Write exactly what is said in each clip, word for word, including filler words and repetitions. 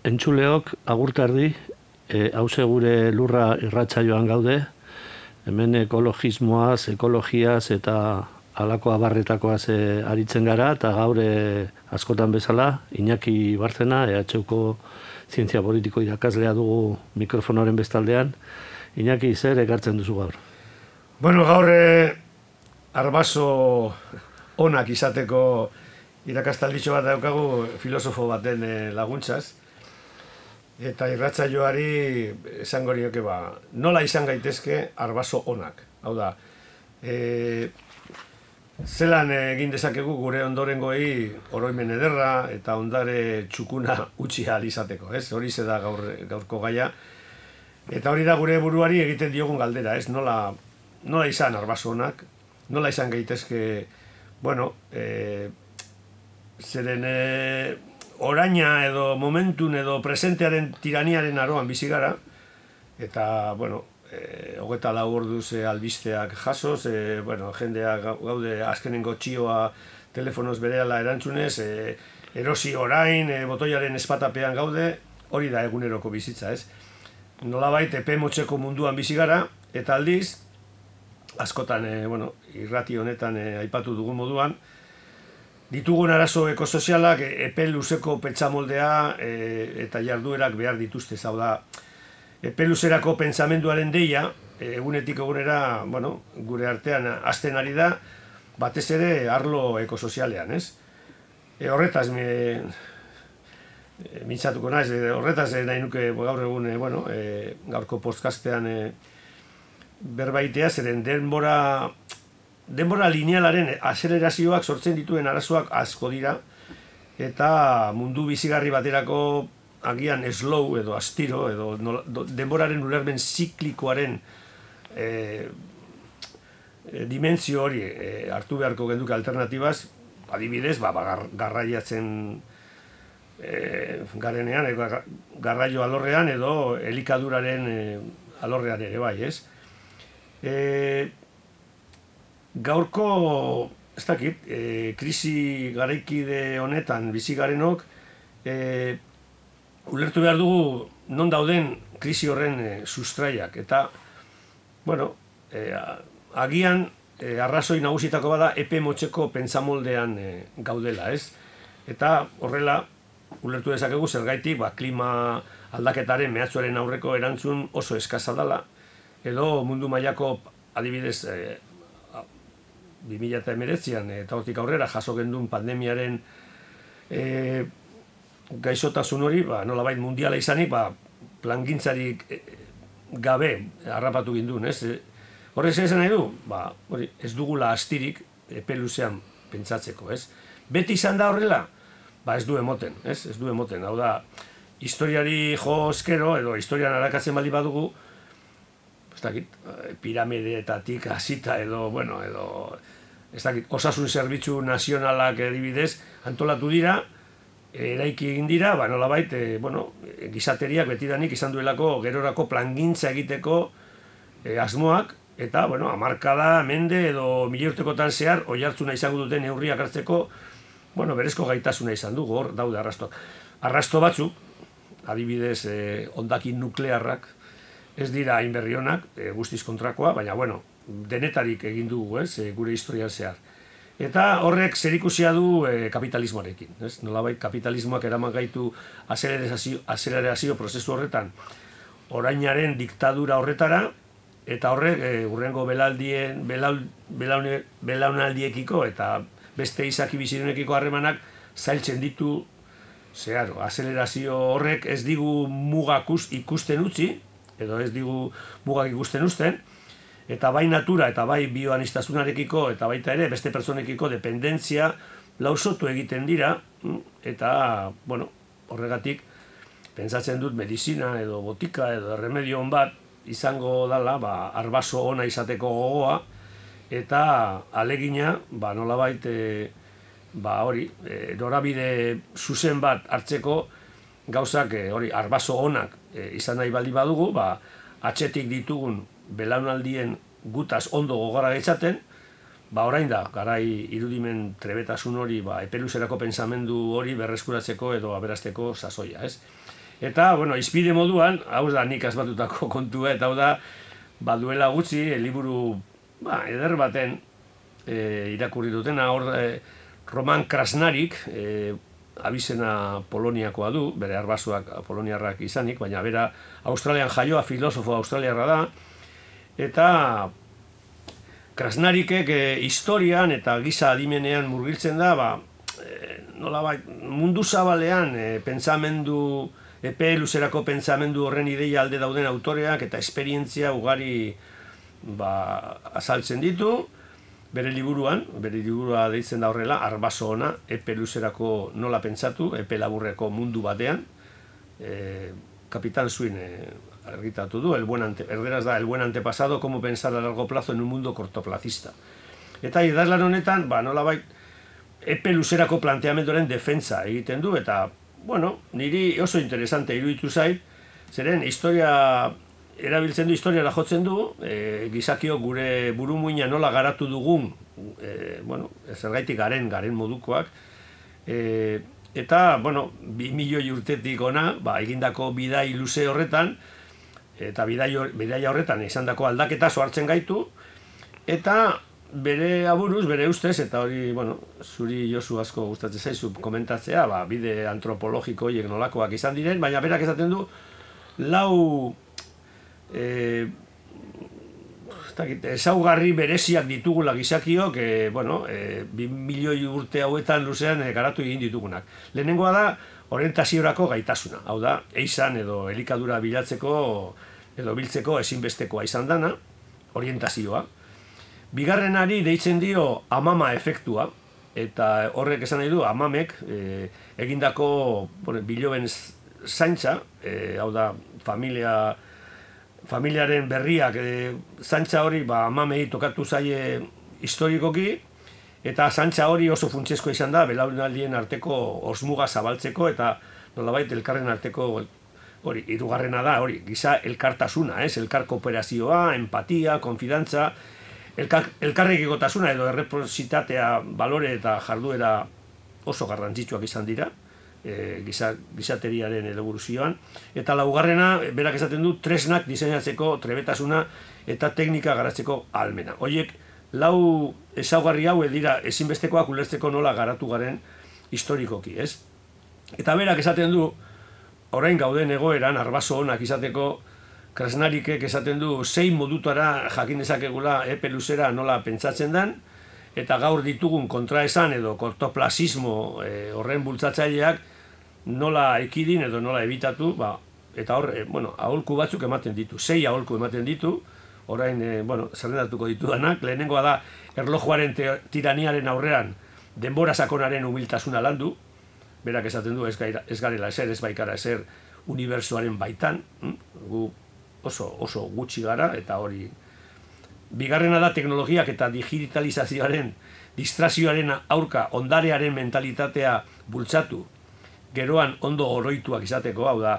Entzuleok agurtardi, e, hause gure lurra irratsaioan gaude, hemen ekologismoaz, ekologiaz eta halako abarretakoaz e, aritzen gara, eta gaur e, askotan bezala, Iñaki Bárcena, E H Uko zientzia politiko irakaslea dugu mikrofonoren bestaldean. Iñaki, zer ekartzen duzu gaur? Bueno, gaur e, arbaso onak izateko irakastalditxo bat daukagu filosofo baten e, laguntzaz. Eta irratsaioari esango nioke ba, nola izan gaitezke arbaso onak. Hau da, e, zelan egin dezakegu gure ondorengoei oroimen ederra eta ondare txukuna utzi ahal izateko, ez? Hori ze da gaur, gaurko gaia. Eta hori da gure buruari egiten diogun galdera, ez? Nola, nola izan arbaso onak, nola izan gaitezke, bueno, e, zeren e, oraina edo momentun edo presentearen tiraniaren aroan bizi gara, eta, bueno, e, hogeta lau orduz e, albisteak jasoz, e, bueno, jendea gaude azkenengo txioa telefonoz berehala erantzunez, e, erosi orain, e, botoiaren espatapean gaude, hori da eguneroko bizitza, ez? Nolabait epe motzeko munduan bizi gara, eta aldiz, askotan, e, bueno, irrati honetan e, aipatu dugun moduan, ditugun arazo ekosozialak epe luzeko pentsamoldea e, eta jarduerak behar dituzte, hau da, epe luzerako pentsamenduaren deia, e, egunetik egunera, bueno, gure artean hasten ari da, batez ere arlo ekosozialean, ez? E, horretaz, me, e, mintzatuko naiz, e, horretaz e, nahi nuke gaur egun, e, bueno, e, gaurko podcastean e, berbaitea, zeren denbora... Denbora linealaren azelerazioak sortzen dituen arazoak asko dira, eta mundu bizigarri baterako agian slow edo astiro, edo nola, do, denboraren ulermen ziklikoaren e, e, dimentsio hori e, hartu beharko genduke alternatibaz, adibidez, ba, ba, gar, garraiatzen e, garenean, e, garraio alorrean edo elikaduraren e, alorrean ere bai, ez? E, Gaurko, ez dakit, e, krisi garaikide honetan bizi garenok, e, ulertu behar dugu non dauden krisi horren e, sustraiak. Eta, bueno, e, agian e, arrazoi nagusitako bada epe motzeko pentsamoldean e, gaudela, ez? Eta horrela, ulertu dezakegu zergaitik, ba, klima aldaketaren mehatxuaren aurreko erantzun oso eskasa dela, edo mundu mailako adibidez, e, bi mila hemeretzian eta hortik aurrera jaso gendun pandemiaren e, gaixotasun hori, ba, nolabait mundiala izanik, ba, plangintzarik gabe harrapatu gindun, ez? Horrez esan nahi du, ba, hori, ez dugula astirik epe luzean pentsatzeko, ez? Beti izan da horrela, ba, ez du emoten, ez? Ez du emoten, hau da, historiari jo eskero, edo historian arakatzen bali badugu, ez dakit, piramideetatik hasita edo, bueno, edo, ez dakit, osasun zerbitzu nazionalak adibidez antolatu dira, eraiki egin dira, ba, nolabait, e, bueno, gizateriak betidanik izan duelako gerorako plangintza egiteko e, asmoak, eta, bueno, hamarkada, mende edo mila urtekotan zehar, oihartzuna izango duten neurriak hartzeko, bueno, berezko gaitasuna izan dugu, hor daude arrastoak. Arrasto batzuk, adibidez, e, hondakin nuklearrak, ez dira hain berri onak, e, guztiz kontrakoa, baina, bueno, denetarik egin dugu, ez, e, gure historian zehar. Eta horrek zerikusia du e, kapitalismoarekin, ez? Nolabait kapitalismoak eraman gaitu azelerazio, azelerazio prozesu horretan orainaren diktadura horretara, eta horrek e, hurrengo belaldien, belaun, belaune, belaunaldiekiko eta beste izaki bizidunekiko harremanak zailtzen ditu zeharo. Azelerazio horrek ez digu mugak ikusten utzi, edo ez digu mugak ikusten uzten, eta bai natura eta bai bioanistasunarekiko eta baita ere beste pertsonekiko dependentzia lausotu egiten dira, eta, bueno, horregatik pentsatzen dut medizina edo botika edo remedio on bat izango dala, ba, arbaso ona izateko gogoa, eta alegina, ba, nolabait, e, ba, hori, e, norabide zuzen bat hartzeko gauzak, e, hori, arbaso onak e, izan nahi baldi badugu, ba, atzetik ditugun belaunaldien gutaz ondo gogora getxaten, ba orain da, garai irudimen trebetasun hori, ba, epeluzerako pensamendu hori berreskuratzeko edo aberasteko sasoia, ez? Eta, bueno, izpide moduan, hau da nik asmatutako kontua, eta hau da, baduela gutxi, liburu ba, eder baten e, irakurri dutena, hor e, Roman Krasnarik, e, abizena Poloniakoa du, bere arbasoak poloniarrak izanik, baina bera Australian jaioa, filosofo australiarra da, eta Krasnarikek e, historian eta giza adimenean murgiltzen da, ba, e, nolabait, mundu zabalean e, pentsamendu, epe luzerako pentsamendu horren ideia alde dauden autoreak eta esperientzia ugari ba, azaltzen ditu, bere liburuan, bere liburua deitzen da horrela, arbaso ona, epe luzerako nola pentsatu, epe laburreko mundu batean, e, Kapitan Swin e, argitatu du, el buen ante, erderaz da, el buen antepasado, como pensar a largo plazo en un mundo cortoplacista. Eta idazlan honetan, ba, nolabait, epe luzerako planteamenduaren defentsa egiten du, eta, bueno, niri oso interesante iruditu zait, zeren historia erabiltzen du, historiara jotzen du, e, gizakio gure burumuina nola garatu dugun, e, bueno, zergaitik garen, garen modukoak, e, eta, bueno, bi milioi urtetik ona, ba, egindako bidai luze horretan, eta bidai, bidai horretan izandako aldaketa soartzen gaitu, eta bere aburuz, bere ustez, eta hori, bueno, zuri Josu asko gustatzen zaizu komentatzea, ba, bide antropologiko horiek nolakoak izan diren, baina berak esaten du, lau e, ezaugarri bereziak ditugula gizakiok, e, bueno, e, bi milioi urte hauetan luzean e, garatu egin ditugunak. Lehenengoa da, orientaziorako gaitasuna, hau da, eizan edo elikadura bilatzeko edo biltzeko ezinbestekoa izan dana, orientazioa. Bigarrenari deitzen dio amama efektua, eta horrek esan nahi du, amamek e, egindako bueno, biloben zaintza, e, hau da, familia, familiaren berriak, e, zaintza hori ba, amamei tokatu zaie historikoki, eta zaintza hori oso funtsezkoa izan da, belaunaldien arteko osmuga zabaltzeko, eta nolabait elkarren arteko hori, hirugarrena da, hori, giza elkartasuna, ez? Elkar kooperazioa, empatia, konfidantza, elkar, elkarrekikotasuna edo erreprositatea, balore eta jarduera oso garrantzitsuak izan dira, e, giza, gizateriaren evoluzioan. Eta laugarrena, berak esaten du, tresnak diseinatzeko trebetasuna eta teknika garatzeko ahalmena. Horiek, lau ezaugarri hau dira ezinbestekoak ulertzeko nola garatu garen historikoki, ez? Eta berak esaten du, orain gauden egoeran, arbaso onak izateko, Krasnarikek esaten du, zein modutara jakin dezakegula epe luzera nola pentsatzen den, eta gaur ditugun kontraesan edo kortoplazismo e, horren bultzatzaileak nola ekidin edo nola ebitatu, ba, eta hor, e, bueno, aholku batzuk ematen ditu, sei aholku ematen ditu, orain, e, bueno, zerrendatuko ditudanak, lehenengoa da, erlojuaren tiraniaren aurrean, denbora sakonaren humiltasuna landu, berak esaten du, ez, gaira, ez garela ezer, ez baikara ezer, unibertsoaren baitan, hm? gu oso, oso gutxi gara, eta hori. Bigarrena da teknologiak eta digitalizazioaren, distrazioaren aurka, ondarearen mentalitatea bultzatu, geroan ondo oroituak izateko, hau da,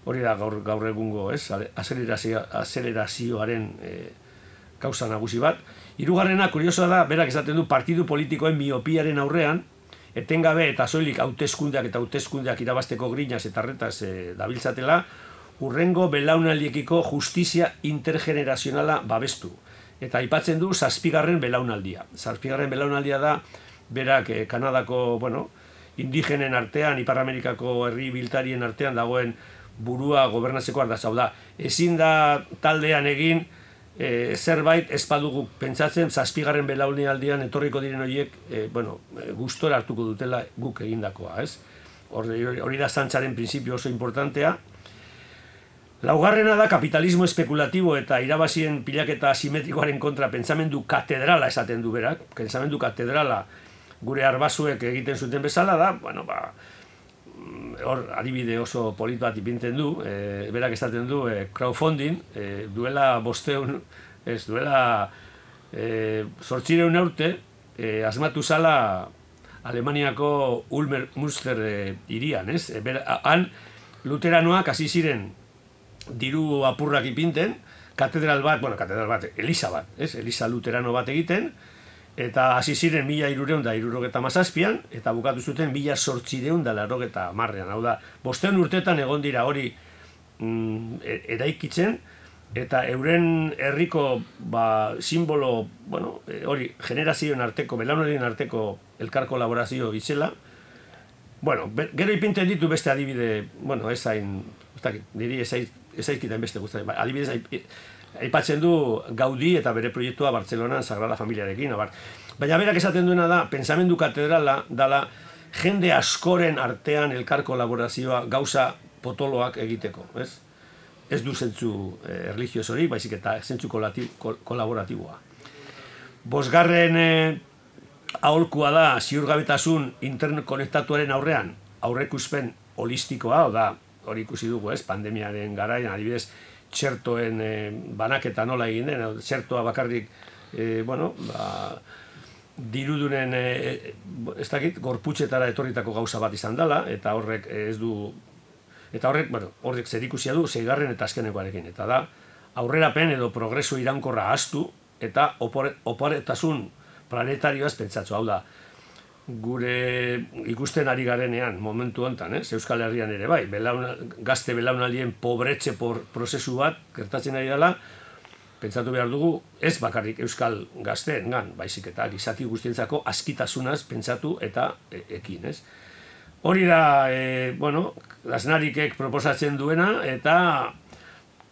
hori da gaur, gaur egungo, ez, azelerazio, azelerazioaren e, kausa nagusi bat. Hirugarrena, kuriosoa da, berak esaten du, partidu politikoen miopiaren aurrean, etengabe eta soilik hauteskundeak eta hauteskundeak irabasteko grinaz eta retaz e, dabiltzatela, urrengo belaunaldiekiko justizia intergenerazionala babestu. Eta aipatzen du zazpigarren belaunaldia. Zazpigarren belaunaldia da, berak eh, Kanadako, bueno, indigenen artean, Ipar Amerikako herri biltarien artean dagoen burua gobernatzeko ardaz. Hau da, ezin da taldean egin e, zerbait ez badugu pentsatzen zazpigarren belaunaldian etorriko diren horiek, e, bueno, gustora hartuko dutela guk egindakoa, ez? Hori, hori da zantzaren printzipio oso importantea. Laugarrena da kapitalismo espekulatibo eta irabazien pilaketa asimetrikoaren kontra pentsamendu katedrala esaten du berak. Pentsamendu katedrala gure arbasuek egiten zuten bezala da, bueno, ba, hor adibide oso polit bat ipintzen du, e, berak esaten du e, crowdfunding, e, duela bosteun, ez, duela e, zortzireun urte, e, asmatu zala Alemaniako Ulmer Münster e, irian, ez? E, bera, han luteranoak hasi ziren diru apurrak ipinten, katedral bat, bueno, katedral bat, eliza bat, ez? Eliza luterano bat egiten, Eta hasi ziren mila hirurehun eta hirurogeta hamazazpian, eta bukatu zuten mila zortziehun eta laurogeita hamarrean. Hau da, bosteun urtetan egon dira hori mm, eraikitzen, eta euren herriko ba, simbolo, bueno, hori, generazioen arteko, belaunaldien arteko elkar kolaborazio itzela. Bueno, gero ipinten ditu beste adibide, bueno, ez hain, ez dakit, niri ez aizkitan beste guztaren, adibidez, aipatzen du Gaudí eta bere proiektua Bartzelonan Sagrada Familiarekin, abar. Baina berak esaten duena da, pensamendu katedrala dala jende askoren artean elkar kolaborazioa gauza potoloak egiteko, ez? Ez du zentzu eh, erlijioz hori, baizik eta zentzu kol kolaboratiboa. Bosgarren eh, aholkua da ziurgabetasun interkonektatuaren aurrean, aurreikuspen holistikoa, o da, hori ikusi dugu, ez? Pandemiaren garaian, adibidez, txertoen eh, banaketa nola egin den, txertoa bakarrik, eh, bueno, ba, dirudunen, eh, ez dakit, gorputxetara etorritako gauza bat izan dela, eta horrek ez du, eta horrek, bueno, horrek zerikusia du, seigarren eta azkenekoarekin, eta da, aurrerapen edo progreso iraunkorra ahaztu, eta oporetasun planetarioaz pentsatzu, hau da, gure ikusten ari garenean momentu honetan, eh? Euskal Herrian ere bai, belauna, gazte belaunaldien pobretxe por prozesu bat gertatzen ari dela, pentsatu behar dugu ez bakarrik euskal gazteen gan, baizik eta gizaki guztientzako askitasunaz pentsatu eta e, ekin, ez? Hori da, e, bueno, Aznarikek proposatzen duena, eta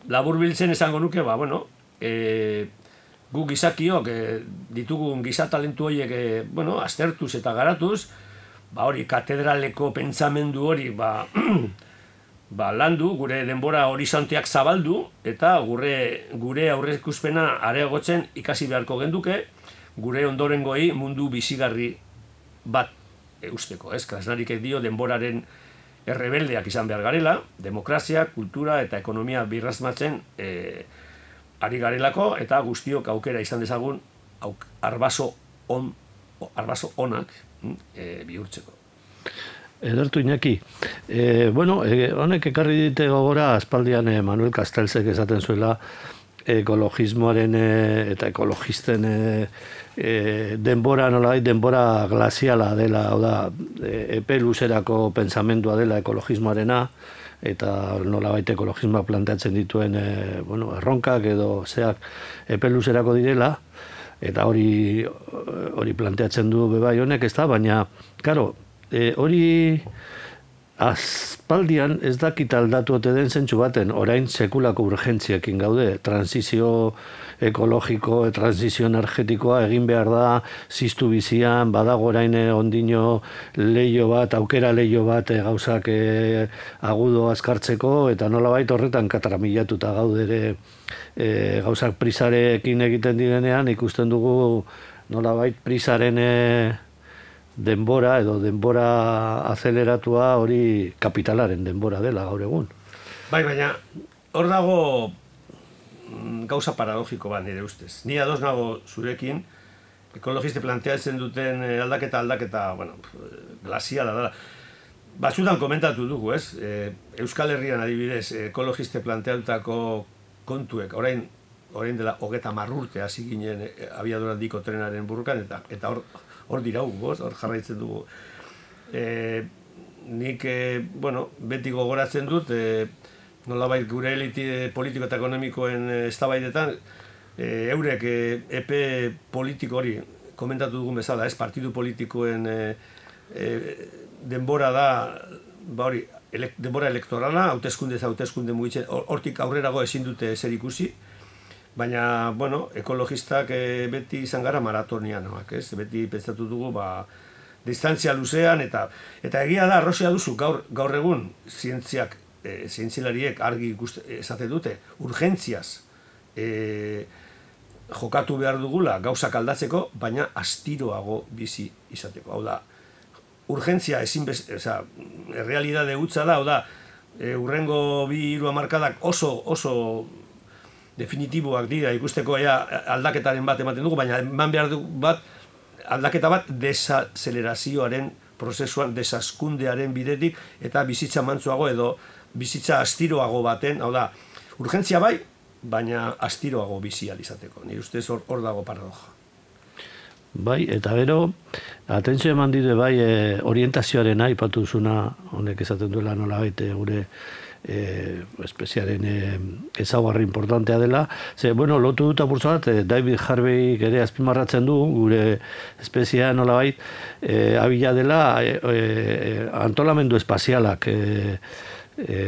laburbiltzen esango nuke, ba, bueno, e, gu gizakiok e, ditugun gizatalentu horiek e, bueno, aztertuz eta garatuz, ba hori katedraleko pentsamendu hori ba, ba landu, gure denbora horizonteak zabaldu, eta gure, gure aurreikuspena areagotzen ikasi beharko genduke, gure ondorengoi mundu bizigarri bat eusteko, ez? Krasnarikek dio denboraren errebeldeak izan behar garela, demokrazia, kultura eta ekonomia birrazmatzen e, ari garelako, eta guztiok aukera izan dezagun auk, arbaso, on, arbaso onak e, bihurtzeko. Edertu Iñaki. E, bueno, e, honek ekarri dite gogora aspaldian e, Manuel Castellsek esaten zuela ekologismoaren e, eta ekologisten e, e, denbora nolabait denbora glaziala dela, hau da, e, epe luzerako pentsamendua dela ekologismoarena, eta nolabait ekologismoak planteatzen dituen e, bueno, erronkak edo zeak epe luzerako direla, eta hori hori planteatzen du bebai honek, ez da, baina, karo, e, hori aspaldian ez dakit aldatu ote den zentsu baten, orain sekulako urgentziekin gaude, transizio ekologiko, transizio energetikoa egin behar da, ziztu bizian, badago orain ondino leio bat, aukera leio bat e, gauzak e, agudo azkartzeko, eta nolabait horretan kataramilatuta gaude ere e, gauzak prisarekin egiten direnean, ikusten dugu nolabait prisaren e, denbora edo denbora azeleratua hori kapitalaren denbora dela gaur egun. Bai, baina hor dago gauza paradogiko bat nire ustez. Ni ados nago zurekin, ekologiste planteatzen duten aldaketa aldaketa, bueno, glaziala dela. Batzutan komentatu dugu, ez? E, Euskal Herrian adibidez, ekologiste planteatutako kontuek, orain, orain dela hogeta marrurte hasi ginen abiadura handiko trenaren burrukan, eta eta hor hor dirau, hor jarraitzen dugu. E, nik, e, bueno, beti gogoratzen dut, e, nolabait gure elite politiko eta ekonomikoen eztabaidetan, e, eurek e, epe politiko hori, komentatu dugun bezala, ez, partidu politikoen e, e, denbora da, ba hori, ele, denbora elektorala, hauteskunde ez hauteskunde mugitzen, hortik aurrerago ezin dute zer ikusi, baina, bueno, ekologistak e, beti izan gara maratonianoak, ez? Beti pentsatu dugu, ba, distantzia luzean, eta eta egia da, arrozia duzu, gaur, gaur egun, zientziak, e, zientzilariek argi esate dute, urgentziaz e, jokatu behar dugula gauzak aldatzeko, baina astiroago bizi izateko. Hau da, urgentzia ezin bez, oza, errealidade hutsa da, hau da, e, urrengo bi hiru hamarkadak oso, oso definitiboak dira, ikusteko ea aldaketaren bat ematen dugu, baina eman behar du bat, aldaketa bat desazelerazioaren prozesuan, desaskundearen bidetik, eta bizitza mantzuago edo bizitza astiroago baten, hau da, urgentzia bai, baina astiroago bizi alizateko. Nire ustez hor, hor dago paradoja. Bai, eta gero, atentzio eman dide bai e, orientazioaren aipatu zuna, honek esaten duela nola baite gure e, espeziaren e, ezaugarri importantea dela. Ze, bueno, lotu dut apurtza bat, e, David Harvey ere azpimarratzen du, gure espeziea nola bait, e, abila dela e, e, antolamendu espazialak e, e,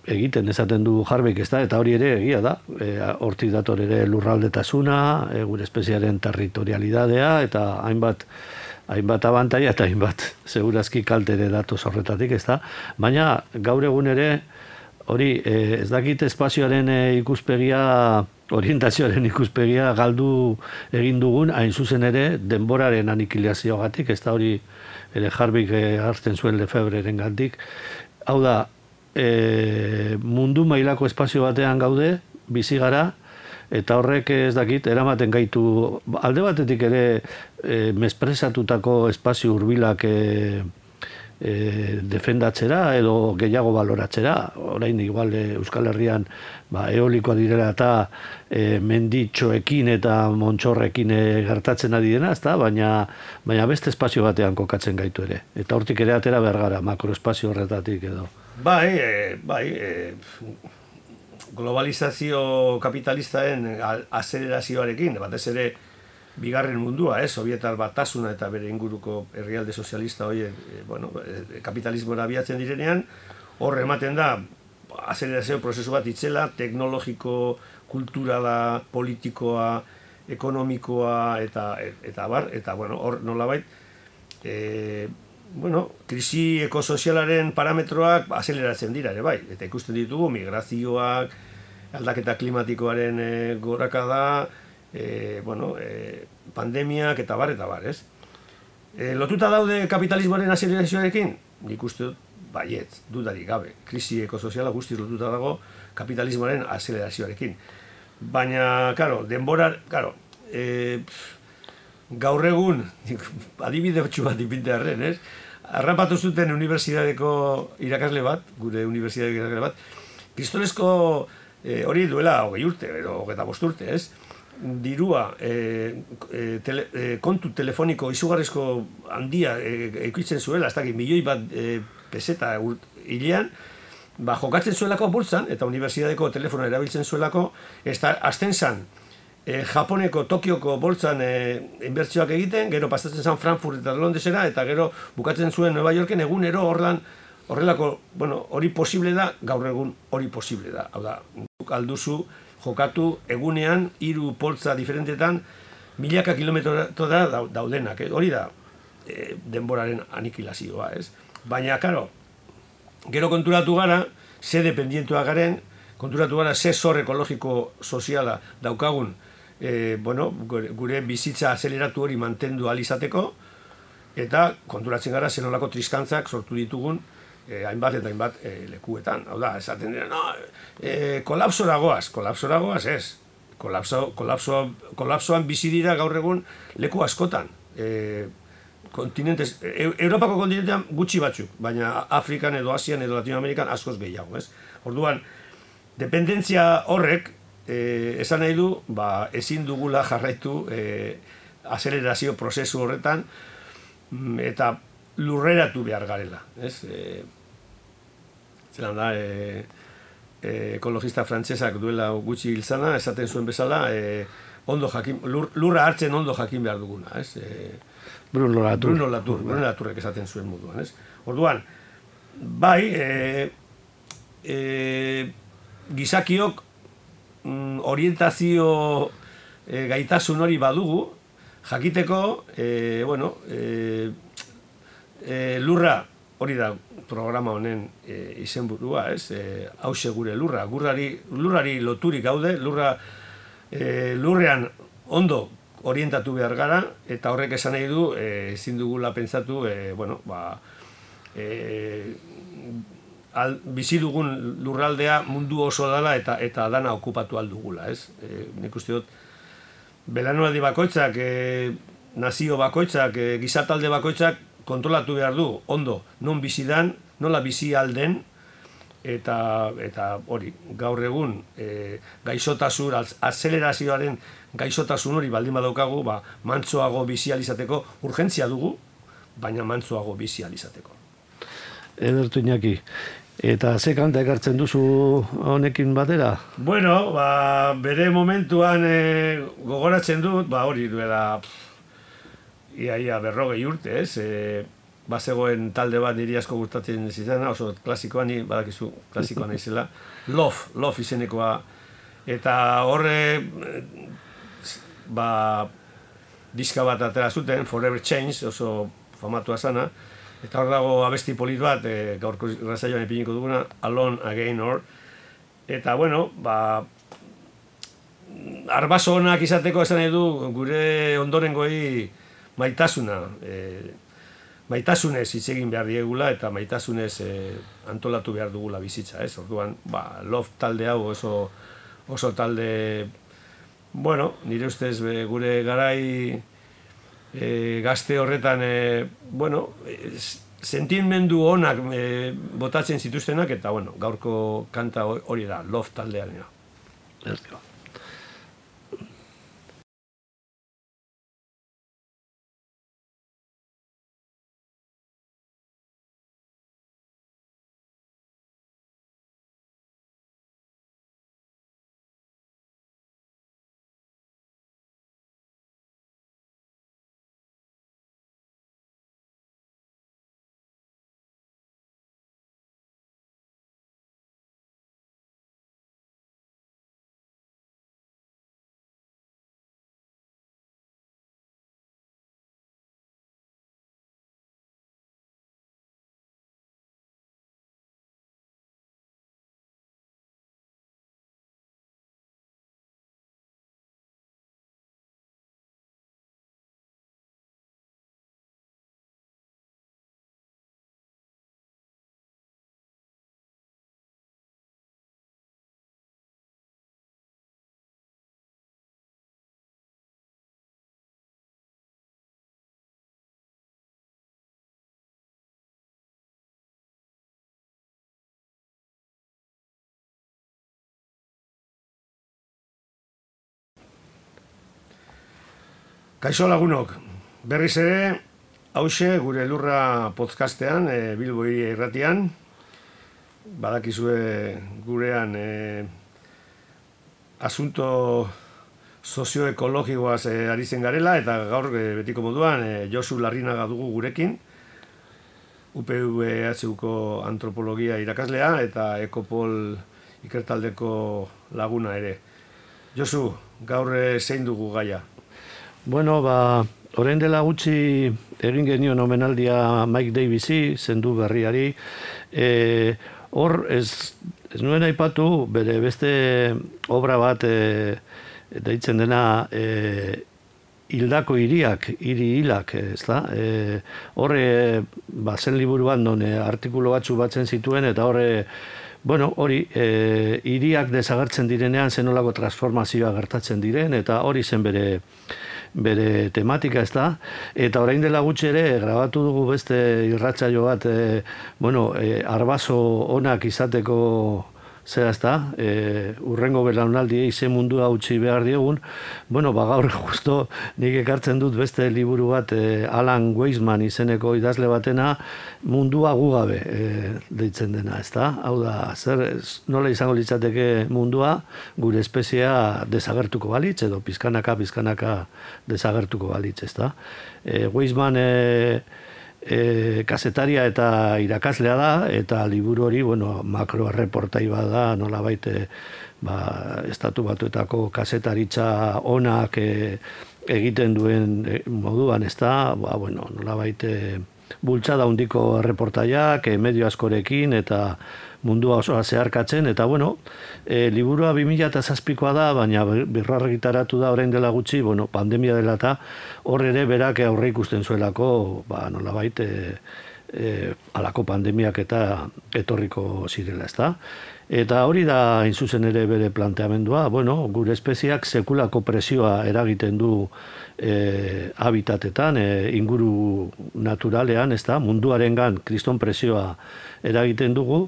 egiten esaten du Harveyk, ez da, eta hori ere egia da, e, hortik dator ere lurraldetasuna, e, gure espeziaren territorialidadea, eta hainbat hainbat abantaia eta hainbat segurazki kaltere datoz horretatik, ez da, baina gaur egun ere hori e, ez dakit espazioaren e, ikuspegia, orientazioaren ikuspegia galdu egin dugun, hain zuzen ere denboraren anikilazioagatik, ez da hori ere Harveyk e, hartzen zuen Lefebreren gandik, hau da, E, mundu mailako espazio batean gaude, bizi gara, eta horrek ez dakit, eramaten gaitu, alde batetik ere e, mespresatutako espazio hurbilak e, e, defendatzera edo gehiago baloratzera. Orain igual e, Euskal Herrian ba, eolikoa direla eta e, menditxoekin eta montxorrekin e, gertatzen ari dena, ezta? Baina, baina beste espazio batean kokatzen gaitu ere. Eta hortik ere atera behar gara, makroespazio horretatik edo. Bai, e, bai, e, globalizazio kapitalistaren azelerazioarekin, batez ere bigarren mundua, eh, Sovietar Batasuna eta bere inguruko herrialde sozialista horiek, e, bueno, e, kapitalismora abiatzen direnean, hor ematen da azelerazio prozesu bat itzela, teknologiko, kulturala, politikoa, ekonomikoa eta eta bar, eta bueno, hor nolabait eh bueno, krisi ekosozialaren parametroak azeleratzen dira ere bai, eta ikusten ditugu migrazioak, aldaketa klimatikoaren e, gorakada, e, bueno, e, pandemiak eta bar eta bar, ez? E, lotuta daude kapitalismoaren azelerazioarekin? Nik uste dut, baietz, dudarik gabe, krisi ekosoziala guztiz lotuta dago kapitalismoaren azelerazioarekin. Baina, karo, denbora, karo, e, gaur egun, adibide bat ipintearren, ez? Arrapatu zuten unibertsitateko irakasle bat, gure unibertsitateko irakasle bat, kristolezko e, hori duela hogei urte, edo hogeita bost urte, ez? Dirua, e, e, tele, e, kontu telefoniko izugarrizko handia ekoitzen e, zuela, ez dakit, milioi bat e, peseta hilean, ba, jokatzen zuelako burtsan, eta unibertsitateko telefonoa erabiltzen zuelako, ez da, azten zan, E, Japoneko, Tokioko boltzan e, inbertsioak egiten, gero pasatzen zen Frankfurt eta Londresera, eta gero bukatzen zuen Nueva Yorken egunero horlan, horrelako, bueno, hori posible da, gaur egun hori posible da. Hau da, alduzu jokatu egunean hiru poltza diferentetan milaka kilometrotora daudenak, eh? Hori da e, denboraren anikilazioa, ez? Baina, karo, gero konturatu gara, ze dependientua garen, konturatu gara ze zor ekologiko soziala daukagun, E, bueno, gure, gure bizitza azeleratu hori mantendu ahal izateko, eta konturatzen gara zenolako triskantzak sortu ditugun e, hainbat eta hainbat e, lekuetan. Hau da, esaten dira, no, e, kolapsora goaz, kolapsora goaz ez. Kolapso, kolapso, kolapsoan bizi dira gaur egun leku askotan. E, kontinentes, e, Europako kontinentean gutxi batzuk, baina Afrikan edo Asian edo Latinoamerikan askoz gehiago, ez? Orduan, dependentzia horrek, Eh, esan nahi du, ba, ezin dugula jarraitu eh, azelerazio prozesu horretan eta lurreratu behar garela. Ez? Eh, zelan da, eh, eh, ekologista frantsesak duela gutxi hilzana, esaten zuen bezala, eh, ondo jakin, lur, lurra hartzen ondo jakin behar duguna. Ez? Eh, Bruno Latour. Bruno Latour, Bruno Latourrek esaten zuen moduan. Ez? Orduan, bai, eh, eh, gizakiok orientazio e, gaitasun hori badugu, jakiteko, e, bueno, e, e, lurra, hori da programa honen e, izenburua, ez? E, hause gure lurra, gurrari, lurrari loturik gaude, lurra, e, lurrean ondo orientatu behar gara, eta horrek esan nahi du, e, ezin dugula pentsatu, e, bueno, ba, e, Al, bizi dugun lurraldea mundu oso dela eta eta dana okupatu aldugula, ez? E, nik uste dut, belanualdi bakoitzak, e, nazio bakoitzak, e, gizatalde bakoitzak kontrolatu behar du, ondo, non bizi dan, nola bizi alden, eta eta hori, gaur egun e, gaixotasun, azelerazioaren gaixotasun hori baldin badaukagu, ba, mantsoago bizi alizateko urgentzia dugu, baina mantsoago bizi alizateko. Edertu Iñaki. Eta ze kanta ekartzen duzu honekin batera? Bueno, ba, bere momentuan e, gogoratzen dut, ba hori duela ia, ia berrogei urte, ez? E, bazegoen talde bat niri asko gustatzen zitzena, oso klasikoa, ni badakizu klasikoa naizela, Love, Love izenekoa, eta horre ba, diska bat atera zuten, Forever Change, oso famatua zana, eta hor dago abesti polit bat, e, gaurko irratsaioan ipiniko duguna, Alone Again hor, eta bueno, ba, arbaso onak izateko esan nahi du gure ondorengoei maitasuna, e, maitasunez hitz egin behar diegula eta maitasunez e, antolatu behar dugula bizitza, ez? Orduan, ba, Love talde hau oso, oso talde, bueno, nire ustez be, gure garai e, gazte horretan, e, bueno, e, sentimendu onak e, botatzen zituztenak, eta bueno, gaurko kanta hori da, Love taldearena. Ezko. Kaixo lagunok, berriz ere, hauxe gure lurra podcastean, e, Bilbo Hiria Irratian, badakizue gurean e, asunto sozioekologikoaz e, ari zen garela, eta gaur e, betiko moduan e, Josu Larrinaga dugu gurekin, U P V H Uko antropologia irakaslea eta Ekopol ikertaldeko laguna ere. Josu, gaur e, zein dugu gaia? Bueno, ba, orain dela gutxi egin genion omenaldia Mike Davisi, zendu berriari. E, hor, ez, ez nuen aipatu, bere beste obra bat e, deitzen dena e, hildako hiriak, hiri hilak, ez da? E, horre, ba, zen liburuan non e, artikulu batzu batzen zituen, eta horre, bueno, hori, e, hiriak desagertzen direnean zenolako transformazioa gertatzen diren, eta hori zen bere bere tematika, ez da, eta orain dela gutxi ere grabatu dugu beste irratsaio bat, e, bueno, e, arbaso onak izateko zera, ez da, e, urrengo belaunaldiei ze mundua utzi behar diegun. Bueno, ba gaur justo nik ekartzen dut beste liburu bat, e, Alan Weisman izeneko idazle batena, mundua gugabe e, deitzen dena, ez da? Hau da, zer, nola izango litzateke mundua, gure espeziea desagertuko balitz, edo pizkanaka, pizkanaka desagertuko balitz, ez da? E, Weisman e, E, kasetaria eta irakaslea da, eta liburu hori, bueno, makro erreportai bada, nolabait e, ba, estatu batuetako kasetaritza onak e, egiten duen e, moduan, ez da, ba, bueno, nolabait e, bultzada handiko erreportaiak, e, medio askorekin, eta mundua osoa zeharkatzen, eta bueno, e, liburua bi mila zazpikoa da, baina birrargitaratu da orain dela gutxi, bueno, pandemia dela eta hor ere berak aurre ikusten zuelako, ba, nolabait, e, e, alako pandemiak eta etorriko zirela, ezta? Eta hori da, hain zuzen ere bere planteamendua, bueno, gure espeziak sekulako presioa eragiten du e, habitatetan, e, inguru naturalean, ezta? Munduarengan kriston presioa eragiten dugu,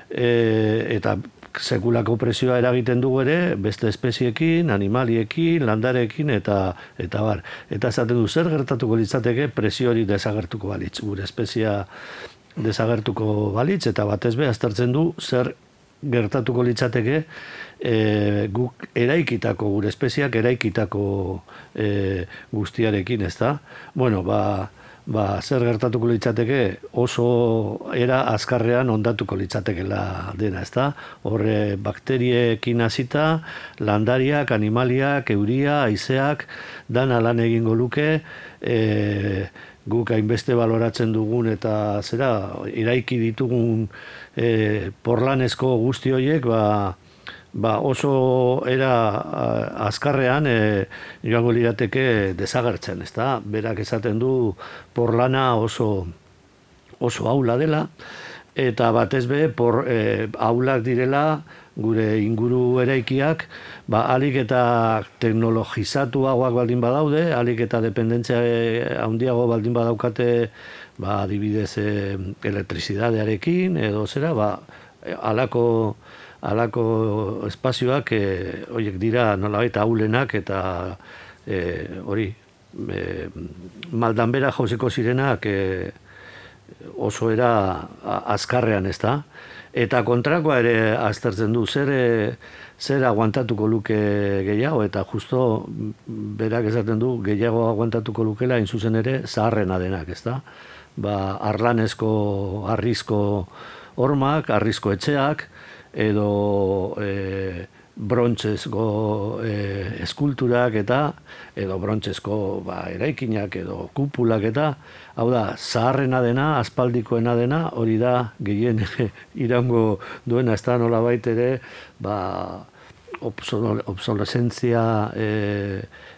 e, eta sekulako presioa eragiten dugu ere, beste espeziekin, animaliekin, landarekin, eta eta bar. Eta esaten du, zer gertatuko litzateke presio hori desagertuko balitz, gure espezia desagertuko balitz, eta batez be, aztertzen du, zer gertatuko litzateke e, guk eraikitako, gure espeziak eraikitako e, guztiarekin, ez da? Bueno, ba, ba, zer gertatuko litzateke oso era azkarrean ondatuko litzatekela dena, ez da? Horre bakteriekin hasita, landariak, animaliak, euria, haizeak, dana lan egingo luke, e, guk hainbeste baloratzen dugun eta zera, iraiki ditugun e, porlanezko guzti horiek, ba, ba oso era azkarrean e, joango lirateke desagertzen, ezta? Berak esaten du porlana oso oso aula dela, eta batez be por e, aulak direla gure inguru eraikiak, ba alik eta teknologizatuagoak baldin badaude, alik eta dependentzia handiago baldin badaukate, ba adibidez e, elektrizidadearekin edo zera, ba halako halako espazioak e, horiek dira nolabait ahulenak eta e, hori e, maldanbera jauzeko zirenak e, oso era azkarrean, ez da? Eta kontrakoa ere aztertzen du, zer, zer aguantatuko luke gehiago, eta justo berak esaten du gehiago aguantatuko lukela hain zuzen ere zaharrena denak, ez da? Ba, arlanezko, harrizko hormak, harrizko etxeak, edo e, brontzesko e, eskulturak eta edo brontzesko ba, eraikinak edo kupulak eta hau da, zaharrena dena, aspaldikoena dena, hori da gehien iraungo duena, ez da nola baitere ba, obsolescentzia e,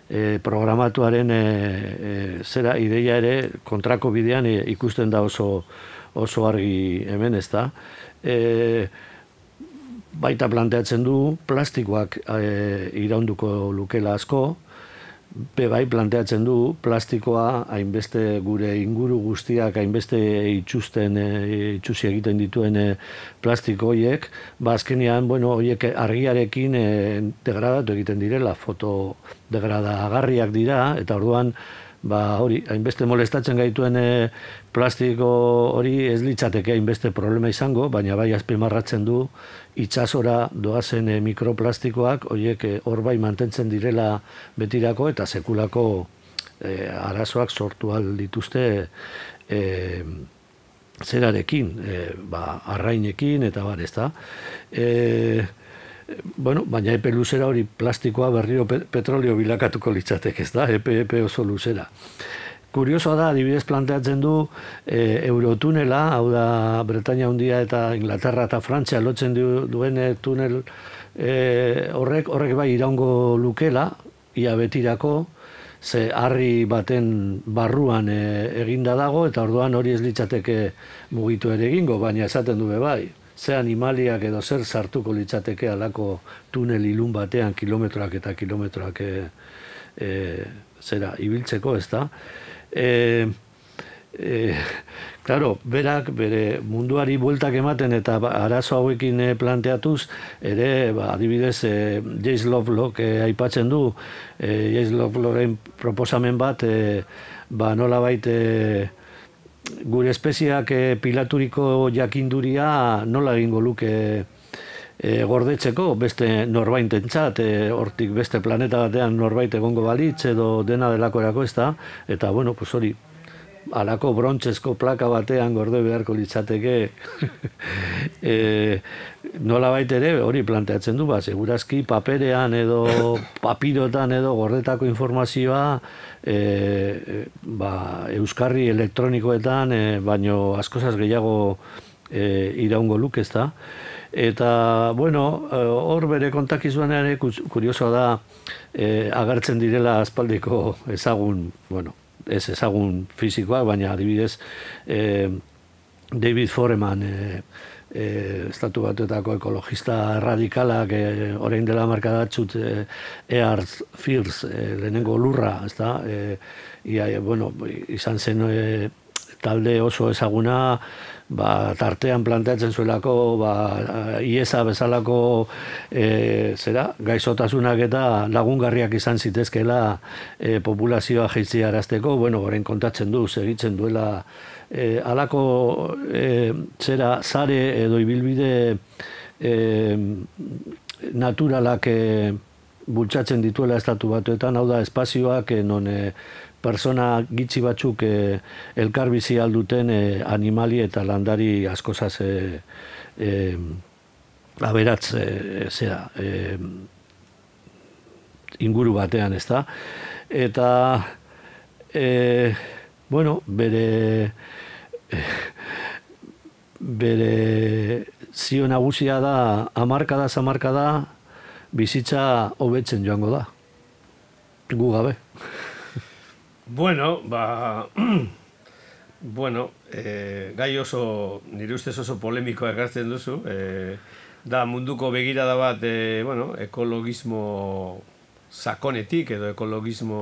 e, programatuaren e, e, zera ideia ere kontrako bidean e, ikusten da oso, oso argi hemen, ez da. E, baita planteatzen du plastikoak e, iraunduko lukela asko, be bai planteatzen du plastikoa hainbeste gure inguru guztiak hainbeste itxusten, e, itxusi egiten dituen e, plastiko horiek, ba azkenean, bueno, horiek argiarekin e, degradatu egiten direla, fotodegradagarriak dira, eta orduan ba hori, hainbeste molestatzen gaituen e, plastiko hori ez litzateke hainbeste problema izango, baina bai azpimarratzen du itsasora doazen e, mikroplastikoak horiek hor bai mantentzen direla betirako eta sekulako e, arazoak sortu ahal dituzte e, zerarekin, e, ba, arrainekin eta bar, ezta. E, Bueno, baina epe luzera hori plastikoa berriro petrolio bilakatuko litzateke, ez da, epe, epe oso luzera. Kuriosoa da, adibidez planteatzen du e, Eurotunela, hau da Bretaña Handia eta Inglaterra eta Frantzia lotzen du, duen tunel e, horrek, horrek bai iraungo lukela, ia betirako, ze harri baten barruan e, eginda dago, eta orduan hori ez litzateke mugitu ere egingo, baina esaten du be bai. Ze animaliak edo zer sartuko litzateke alako tunel ilun batean kilometroak eta kilometroak e, e, zera ibiltzeko, ez da? E, e, claro, berak bere munduari bueltak ematen eta arazo hauekin planteatuz, ere, ba, adibidez, e, James Lovelock e, aipatzen du, e, James Lovelocken proposamen bat, e, ba, nola baite, gure espeziak e, pilaturiko jakinduria nola egingo luke e, gordetzeko beste norbaitentzat, e, hortik beste planeta batean norbait egongo balitz edo dena delakorako, ez da, eta bueno, pues hori, alako brontzesko plaka batean gorde beharko litzateke e, nola baitere hori planteatzen du, ba, segurazki paperean edo papirotan edo gordetako informazioa e, ba, euskarri elektronikoetan e, baino askozaz gehiago e, iraungo luke, ez da. Eta, bueno, hor bere kontakizuan ere kuriosoa da e, agertzen direla aspaldiko ezagun, bueno, ez ezagun fizikoak, baina adibidez eh, David Foreman, eh, eh, estatu batuetako ekologista radikalak, eh, orain dela markadatzut eh, Earth First, eh, lehenengo lurra, ez da, eh, ia, bueno, izan zen eh, talde oso ezaguna, ba, tartean planteatzen zuelako, ba, iesa bezalako e, zera, gaixotasunak eta lagungarriak izan zitezkela e, populazioa jaitziarazteko, bueno, orain kontatzen du, segitzen duela e, alako e, zera, zare edo ibilbide e, naturalak e, bultzatzen dituela estatu batuetan, hau da espazioak e, non e, persona gitxi batzuk eh, elkarbizi alduten eh, animali eta landari askozaz eh, eh, aberatz eh, zera, eh, inguru batean, ez da. Eta, eh, bueno, bere, eh, bere zio nagusia da, hamarkada, hamarkada, bizitza hobetzen joango da. Gu gabe. Bueno, ba, bueno, e, gai oso, nire ustez oso polemikoa ekartzen duzu, e, da munduko begirada bat, e, bueno, ekologismo sakonetik edo ekologismo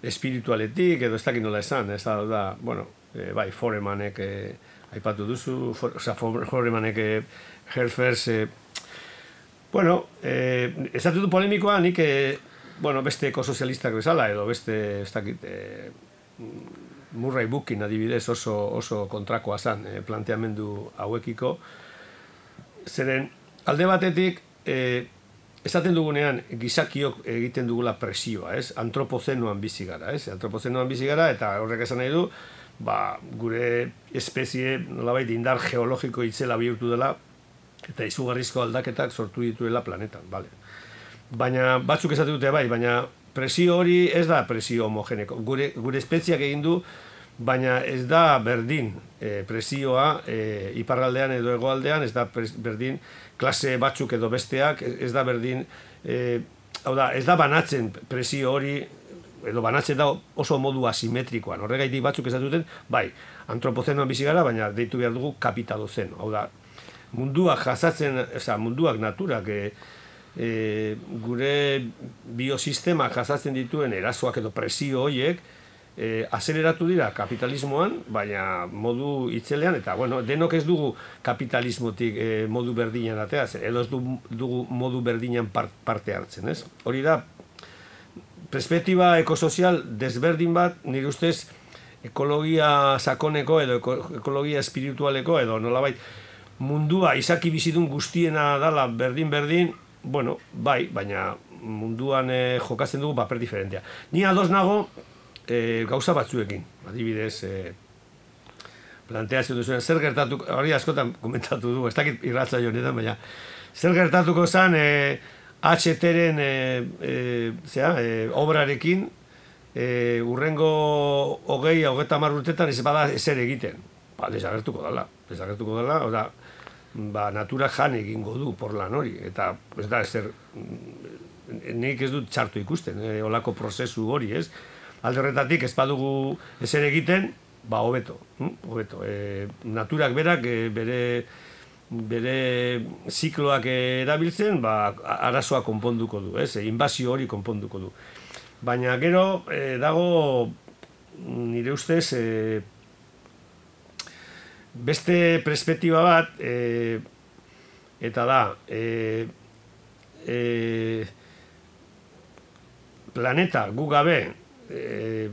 espiritualetik edo ez dakit nola esan, ez da, da bueno, e, bai, Foremanek e, aipatu duzu, for, oza, Foremanek e, Herfers, e, bueno, e, ez dut polemikoa, nik e, bueno, beste ekosozialistak bezala, edo beste, ez dakit, e, Murray Bookkin adibidez oso, oso kontrakoa zan e, planteamendu hauekiko. Zeren, alde batetik, e, esaten dugunean gizakiok egiten dugula presioa, ez? Antropozenoan bizi gara, ez? Antropozenoan bizi gara, eta horrek esan nahi du, ba, gure espezie, nolabait, indar geologiko itzela bihurtu dela, eta izugarrizko aldaketak sortu dituela planetan, bale. Baina batzuk esate dute bai, baina presio hori ez da presio homogeneko. Gure, gure espeziak egin du, baina ez da berdin e, presioa e, iparraldean edo hegoaldean, ez da berdin klase batzuk edo besteak, ez da berdin, e, hau da, ez da banatzen presio hori, edo banatzen da oso modu asimetrikoan. Horregaitik batzuk esate duten, bai, antropozenoan bizi gara, baina deitu behar dugu kapitalozeno. Hau da, munduak jasatzen, oza, munduak naturak, e, E, gure biosistema jasatzen dituen erasoak edo presio horiek e, azeleratu dira kapitalismoan, baina modu itzelean, eta bueno, denok ez dugu kapitalismotik e, modu berdinan ateatzen, edo ez dugu modu berdinan part, parte hartzen, ez? Hori da, perspektiba ekosozial desberdin bat, nire ustez, ekologia sakoneko edo ekologia espiritualeko edo nolabait mundua izaki bizidun guztiena dala berdin-berdin, bueno, bai, baina munduan eh, jokatzen dugu paper diferentea. Ni ados nago eh, gauza batzuekin, adibidez, eh, planteatzen duzuen, zer gertatuko, hori askotan komentatu du, ez dakit irratza honetan, baina zer gertatuko zen eh, H T-ren eh, eh, eh, obrarekin eh, urrengo hogei, hogeita hamar urtetan ez bada ezer egiten. Ba, desagertuko dela, desagertuko dela, oda, ba, natura jan egingo du porlan hori, eta ez da, ezer, nik ez dut txartu ikusten, e, olako prozesu hori, ez? Alde horretatik, ez badugu ezer egiten, ba, hobeto, hm? hobeto. E, naturak berak, e, bere, bere zikloak erabiltzen, ba, arazoa konponduko du, ez? E, inbazio hori konponduko du. Baina gero, e, dago, nire ustez, e, beste perspektiba bat, e, eta da, e, e, planeta gu gabe e,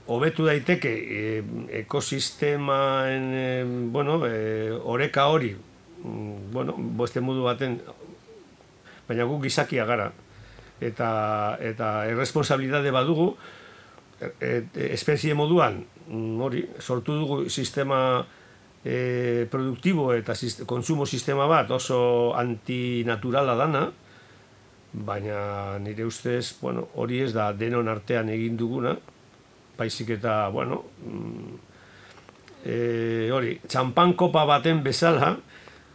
hobetu daiteke e, ekosistemaen e, bueno, e, oreka hori, bueno, beste modu baten, baina gu gizakia gara, eta, eta erresponsabilitate badugu, e, e, espezie moduan, hori, sortu dugu sistema E, produktibo eta sist- konsumo sistema bat oso antinaturala dana, baina nire ustez, bueno, hori ez da denon artean egin duguna, baizik eta, bueno, e, hori, txampan kopa baten bezala,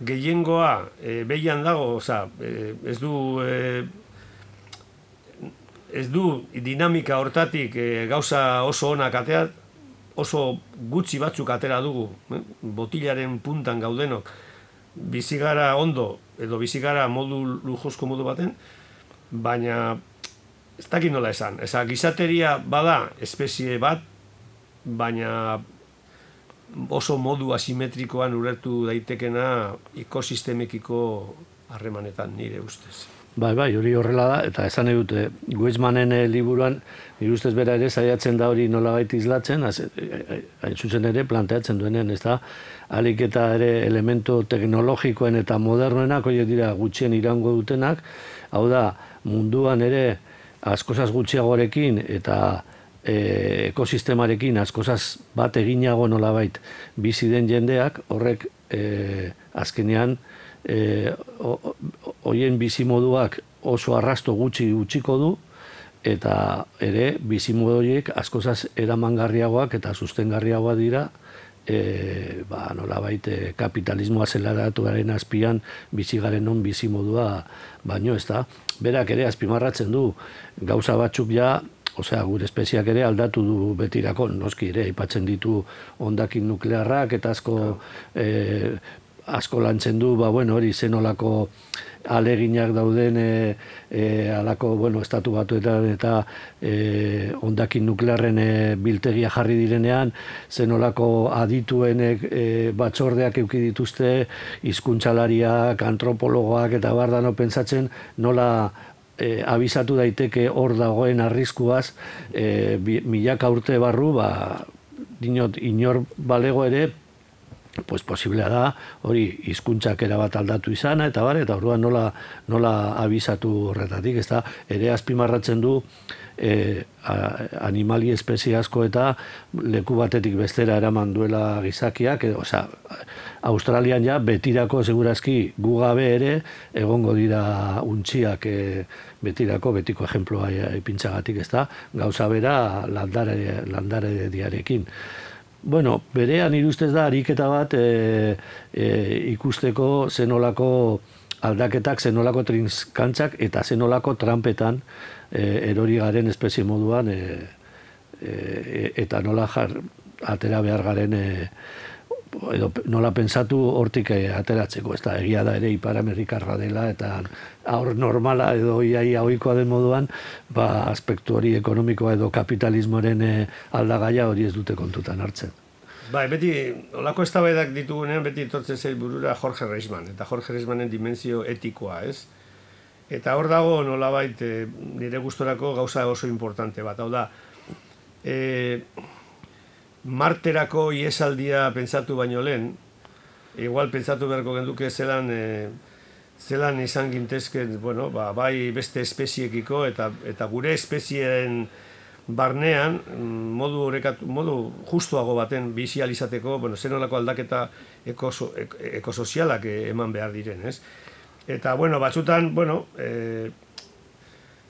gehiengoa e, behian dago, oza, e, ez du, e, ez du dinamika hortatik e, gauza oso onak ateat, oso gutxi batzuk atera dugu, eh? Botilaren puntan gaudenok, bizigara ondo, edo bizigara modu lujozko modu baten, baina ez dakit nola esan, eza gizateria bada espezie bat, baina oso modu asimetrikoan ulertu daitekena ekosistemekiko harremanetan nire ustez. Bai, bai, hori horrela da, eta esan nahi dute, Weizmannen e, liburuan, nire ustez bera ere saiatzen da hori nolabait islatzen, hain zuzen ere planteatzen duenean, ez da, alik eta ere elemento teknologikoen eta modernoenak, horiek dira gutxien irango dutenak, hau da, munduan ere askozaz gutxiagoarekin eta e, ekosistemarekin askozaz bat eginago nolabait bizi den jendeak, horrek e, azkenean, E, hoien bizimoduak oso arrasto gutxi utziko du eta ere bizimodu horiek askozaz eramangarriagoak eta sustengarriagoak dira e, ba, nolabait e, kapitalismoa zelaratuaren azpian bizigaren non bizimodua baino ez da. Berak ere azpimarratzen du gauza batzuk ja, osea, gure espeziak ere aldatu du betirako, noski ere, aipatzen ditu hondakin nuklearrak eta asko e, asko lantzen du, ba, bueno, hori zenolako aleginak dauden e, e, alako, bueno, estatu batuetan eta e, hondakin nuklearren e, biltegia jarri direnean, zenolako adituenek e, batzordeak euki dituzte, hizkuntsalariak, antropologoak eta bardano pentsatzen nola e, abisatu daiteke hor dagoen arriskuaz, e, milaka urte barru, ba, dinot, inor balego ere, pues posiblea da, hori hizkuntzak erabat aldatu izana, eta bar, eta orduan nola, nola abisatu horretatik, ez da, ere azpimarratzen du e, a, animali espezie asko eta leku batetik bestera eraman duela gizakiak, edo, osea, Australian ja betirako segurazki gu gabe ere egongo dira untxiak e, betirako, betiko ejemploa ipintzagatik, ez da, gauza bera landare, landare diarekin. Bueno, berean irustez da ariketa bat e, e, ikusteko zenolako aldaketak, zenolako trinskantzak eta zenolako trampetan e, erori garen espezie moduan e, e, eta nola jar, atera behar garen e, edo nola pensatu hortik ateratzeko, ez da, egia da ere Ipar Amerikarra dela eta aur normala edo iaia ohikoa den moduan, ba, aspektu hori ekonomikoa edo kapitalismoaren e, aldagaia hori ez dute kontutan hartzen. Bai, beti, olako eztabaidak ditugunean, beti etortzen zait burura Jorge Reisman, eta Jorge Reismanen dimensio etikoa, ez? Eta hor dago nolabait e, nire gustorako gauza oso importante bat, hau da, e, Marterako iesaldia pentsatu baino lehen, igual pentsatu beharko genduke zelan, e, zelan izan gintezken, bueno, ba, bai beste espeziekiko eta, eta gure espezieen barnean, modu, orekatu, modu justuago baten bizializateko, bueno, zenolako aldaketa ekoso, ekosozialak eman behar diren, ez? Eta, bueno, batzutan, bueno, e,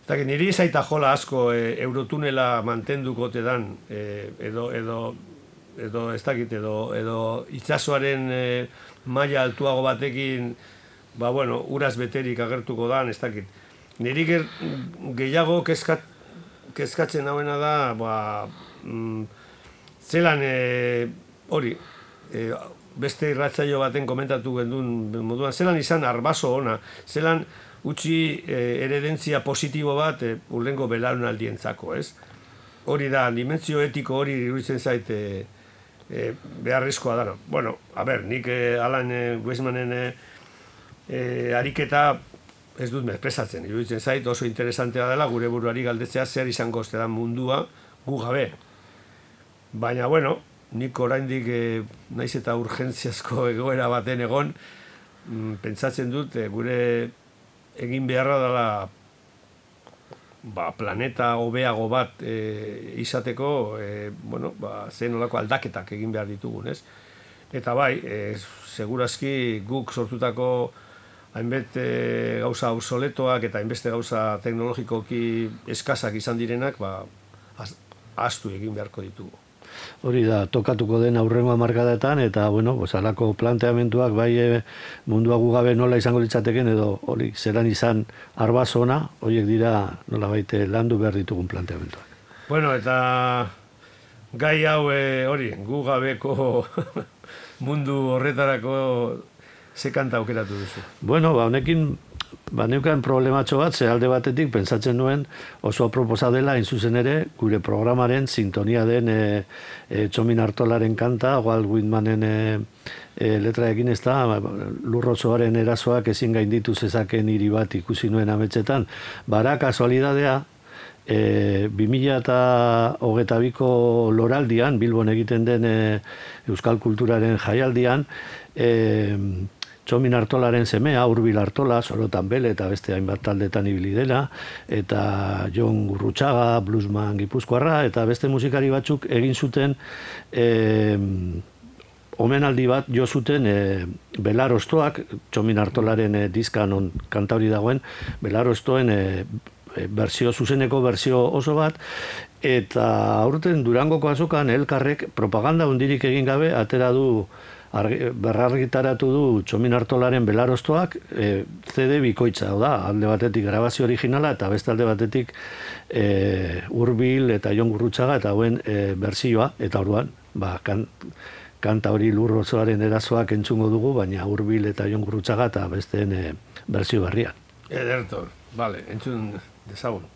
eta niri zaita jola asko e, eurotunela mantenduko tedan, e, edo, edo, edo, ez dakit, edo, edo itsasoaren e, maila altuago batekin, ba, bueno, uraz beterik agertuko dan, ez dakit. Niri ger, gehiago kezkat, kezkatzen hauena da, ba, mm, zelan, e, hori, e, beste irratzaio baten komentatu gendun moduan, zelan izan arbaso ona, zelan utzi e, eredentzia positibo bat e, urrengo belaunaldientzako, ez? Hori da, dimentsio etiko hori iruditzen zait e, e, beharrezkoa dara. Bueno, a ber, nik e, Alan e, Weizmannen e, e, ariketa ez dut mespresatzen, iruditzen zait oso interesantea dela gure buruari galdetzea zer izango oste da mundua gu gabe. Baina, bueno, nik oraindik e, naiz eta urgentziazko egoera baten egon, mm, pentsatzen dut e, gure egin beharra dela ba, planeta hobeago bat e, izateko, e, bueno, ba, zen olako aldaketak egin behar ditugun, ez? Eta bai, e, segurazki guk sortutako hainbet e, gauza obsoletoak eta hainbeste gauza teknologikoki eskasak izan direnak, ba, ahaztu egin beharko ditugu. Hori da, tokatuko den aurrengo hamarkadetan, eta, bueno, alako planteamenduak bai e, mundua gu gabe nola izango litzateken, edo hori zeran izan arbazona, horiek dira nola baite landu behar ditugun planteamenduak. Bueno, eta gai hau e, hori, gu gabeko mundu horretarako ze kanta aukeratu duzu? Bueno, ba, honekin Ba, neukan problematxo bat, ze alde batetik pentsatzen nuen oso aproposa dela, hain zuzen ere, gure programaren sintonia den e, e, Txomin Artolaren kanta, Walt Whitmanen e, e, letraekin ez da, lurrozoaren erasoak ezin gainditu zezaken hiri bat ikusi nuen ametsetan. Bara, kasualidadea, e, bi mila hogeita biko loraldian, Bilbon egiten den e, Euskal Kulturaren jaialdian, e, Txomin Artolaren semea, Urbil Artola, Sorotan Bele eta beste hainbat taldetan ibili dela, eta Jon Gurrutxaga, bluesman gipuzkoarra, eta beste musikari batzuk egin zuten e, omenaldi bat jo zuten e, Belaroztoak, Txomin Artolaren e, diskan on kantauri dagoen, Belaroztoen e, berzio, zuzeneko berzio oso bat, eta aurten Durangoko azokan elkarrek propaganda hundirik egin gabe atera du berrargitaratu du Txomin Artolaren Belaroztoak e, C D bikoitza, da, alde batetik grabazio originala eta beste alde batetik e, Urbil eta Jon Gurrutxaga eta hauen e, berzioa, eta orduan, ba, kan, kanta hori lurrozoaren erasoak entzungo dugu, baina Urbil eta Jon Gurrutxaga eta besteen e, berzio berrian. Ederto, vale, entzun dezagun.